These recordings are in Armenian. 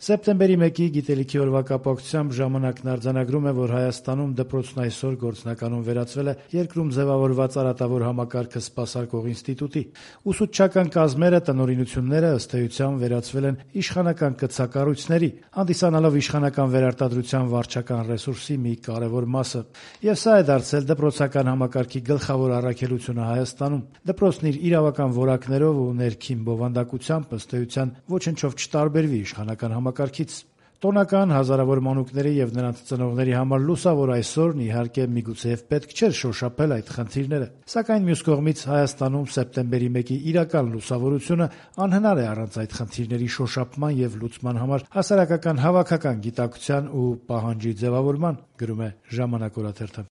Սեպտեմբերի 1-ի գիտելիքի օրվա կապակցությամբ ժամանակն արձանագրում է, որ Հայաստանում դպրոցն այսօր գործնականում վերածվել է երկրում ձևավորված արատավոր համակարգը սպասարկող ինստիտուտի։ Ուսուցչական կազմերը, տնօրինությունները ըստ էության վերածվել են իշխանական կցակառույցների, հանդիսանալով իշխանական վերարտադրության վարչական ռեսուրսի մի կարևոր մասը։ Եվ սա է դարձել դպրոցական համակարգի գլխավոր առաքելությունը Հայաստանում։ Դպրոցն իր իրավական որակներով ու ներքին բովանդակությամբ ըստ էության ոչնչով չտարբերվի իշխանական համակարգից։ Տոնական հազարավոր մանուկների եւ նրանց ծնողների համար լուսավոր այսօրն իհարկե միգուցեև պետք չէր շոշափել այդ խնդիրները, սակայն մյուս կողմից Հայաստանում սեպտեմբերի 1-ի իրական լուսավորությունը անհնար է առանց այդ խնդիրների շոշափման եւ լուծման համար հասարակական հավաքական գիտակցության ու պահանջի ձևավորման, գրում է Ժամանակ օրաթերթը։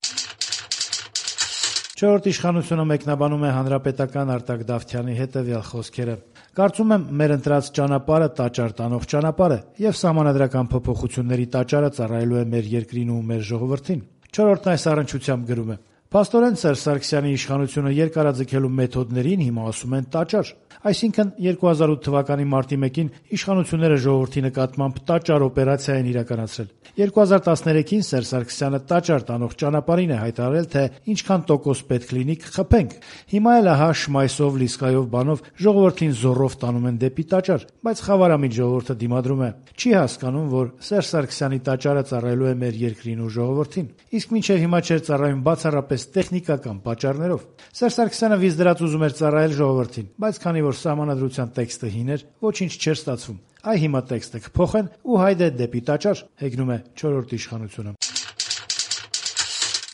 Չորրորդ իշխանությունը մեկնաբանում է հանրապետական Արտակ Դավթյանի հետևյալ խոսքերը. «Կարծում եմ, մեր ընտրած ճանապարհը տաճար տանող ճանապարհ է եւ սահմանադրական փոփոխությունների տաճարը ծառայելու է մեր երկրին ու մեր ժողովրդին»։ Չորրորդն այս առնչությամբ գրում է. «Փաստորեն Սերժ Սարգսյանի իշխանությունը երկարաձգելու մեթոդներին հիմա ասում են տաճար։ Այսինքն 2008 թվականի մարտի 1-ին իշխանությունները ժողովրդի նկատմամբ տաճար օպերացիա են իրականացրել։ 2013-ին Սերժ Սարգսյանը տաճար տանող ճանապարհին է հայտարարել, թե ինչքան տոկոս պետք լինի կխփենք։ Հիմա էլ ահա շմայսով, լիսկայով բանով ժողովրդին զոռով տանում են դեպի տաճար, բայց խավարամիտ ժողովուրդը դիմադրում է։ Չի հասկանում, որ Սերժ Սարգսյանի տաճարը ծառայելու է մեր երկրին ու ժողովրդին։ Իսկ մինչև հիմա չէր ծառայում բացառապես տեխնիկական պատճառներով։ Սերժ Սարգսյանը վիզ դրած ուզում էր ծառայել ժողովրդին, բայց քանի որ սահմանադրության տեքստը հին էր, ոչինչ չէր ստացվում։ Այ հիմա տեքստը կփոխեն ու հայդե դեպի տաճար, հեգնում է չորրորդ իշխանությունը։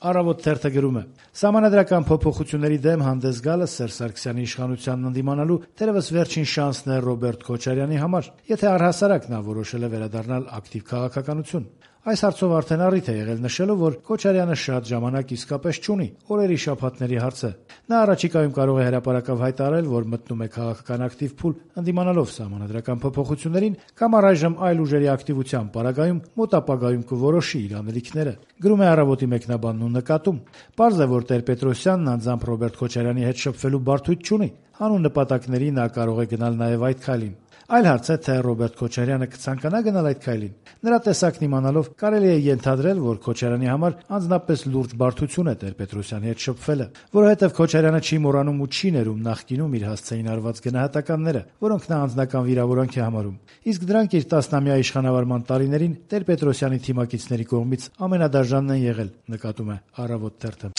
Առավոտ թերթը գրում է. «Սահմանադրական փոփոխությունների դեմ հանդես գալը Սերժ Սարգսյանի իշխանությանն ընդդիմանալու թերևս վերջին շանսն է Ռոբերտ Քոչարյանի համար, եթե առհասարակ նա որոշել է վերադառնալ ակտիվ քաղաքականություն։ Այս հարցով արդեն առիթ է եղել նշելով, որ Քոչարյանը շատ ժամանակ իսկապես չունի, օրերի շաբաթների հարց է։ Նա առաջիկայում կարող է հրապարակավ հայտարարել, որ մտնում է քաղաքական ակտիվ փուլ, ընդդիմանալով սահմանադրական փոփոխություններին կամ առայժմ այլ ուժերի ակտիվության պարագայում մոտ ապագայում կորոշի իր անելիքները», գրում է Առավոտի մեկնաբանն ու նկատում. «Պարզ է, որ Տեր-Պետրոսյանն անձամբ Ռոբերտ Քոչարյանի հետ շփվելու բարդույթ չունի, հանուն նպատակների նա կարող է գնալ նաև այդ քայլին։ Այլ հարց է, թե Ռոբերտ Քոչարյանը կցանկանա գնալ այդ քայլին։ Նրա տեսակն իմանալով կարելի է ենթադրել, որ Քոչարյանի համար անձնապես լուրջ բարդություն է Տեր-Պետրոսյանի հետ շփվելը, որովհետև Քոչարյանը չի մոռանում ու չի ներում նախկինում իր հասցեին արված գնահատականները, որոնք նա անձնական վիրավորանք է համարում։ Իսկ դրանք իր 10-ամյա իշխանավարման տարիներին Տեր-Պետրոսյանի թիմակիցների կողմից ամենադաժանն են եղել», նկատում է Առավոտ թերթը։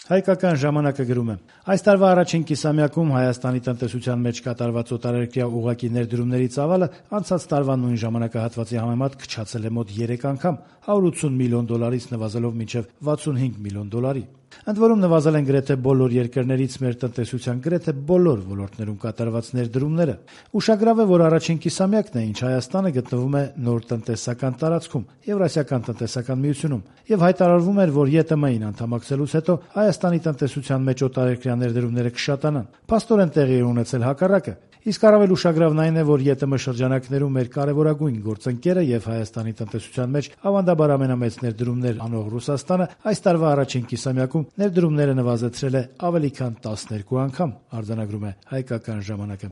Հայկական ժամանակը գրում է. «Այս տարվա առաջին կիսամյակում Հայաստանի տնտեսության մեջ կատարված օտարերկրյա ուղղակի ներդրումների ծավալը անցած տարվա նույն ժամանակահատվածի համեմատ քչացել է մոտ 3 անգամ, $180 միլիոն նվազելով մինչև $65 միլիոն։ Ընդ որում նվազել են գրեթե բոլոր երկրներից մեր տնտեսության գրեթե բոլոր ոլորտներում կատարված ներդրումները։ Ուշագրավ է, որ առաջին կիսամյակն է, ինչ Հայաստանը գտնվում է նոր տնտեսական տարածքում, Եվրասիական տնտեսական միությունում, եւ հայտարարվում էր, որ ԵՏՄ-ին անդամակցելուց հետո Հայաստանի տնտեսության մեջ օտարերկրյա ներդրումները կշատանան։ Փաստորեն տեղի է ունեցել հակառակը։ Իսկ առավել ուշագրավն այն է, որ ԵՏՄ շրջանակներում մեր կարևորագույն գործընկերը եւ Հայաստանի տնտեսության մեջ ավանդաբար ամենամեծ ներդրումներ անող Ռուսաստանը այս տարվա առաջին կիսամյակում ներդրումները նվազեցրել է ավելի քան 12 անգամ, արձանագրում է Հայկական ժամանակը։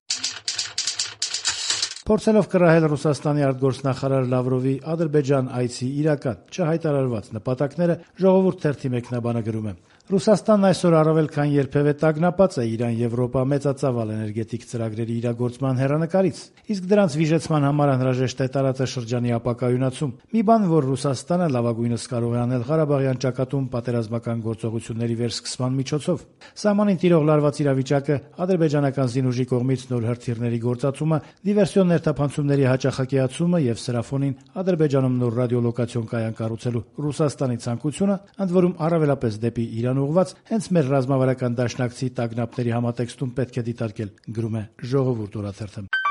Փորձելով կռահել Ռուսաստանի արտգործնախարար Լավրովի Ադրբեջան այցի իրական չհայտարարված նպատակները, Ժողովուրդ թերթի մեկնաբանը գրում է. «Ռուսաստանն այսօր առավել քան երբևէ տագնապած է Իրան-Եվրոպա մեծածավալ էներգետիկ ծրագրերի իրագործման հեռանկարից, իսկ դրանց վիժեցման համար անհրաժեշտ է տարածաշրջանի ապակայունացում։ Մի բան, որ Ռուսաստանը լավագույնս կարող է անել Ղարաբաղյան ճակատում պատերազմական գործողությունների վերսկսման միջոցով։ Սահմանին տիրող լարված իրավիճակը, ադրբեջանական զինուժի կողմից նոր հրթիռների գործածումը, դիվերսիոն ներթափանցումների հաճախակիացումը եւ սրա ֆոնին Ադրբեջանում նոր ռադիոլոկացիոն կայան կառուցելու Ռուսաստանի ցանկությունը, ընդ որում առավելապես դեպի Իրան ուղղված, հենց մեր ռազմավարական դաշնակցի տագնապների համատեքստում պետք է դիտարկել», գրում է Ժողովուրդ օրաթերթը։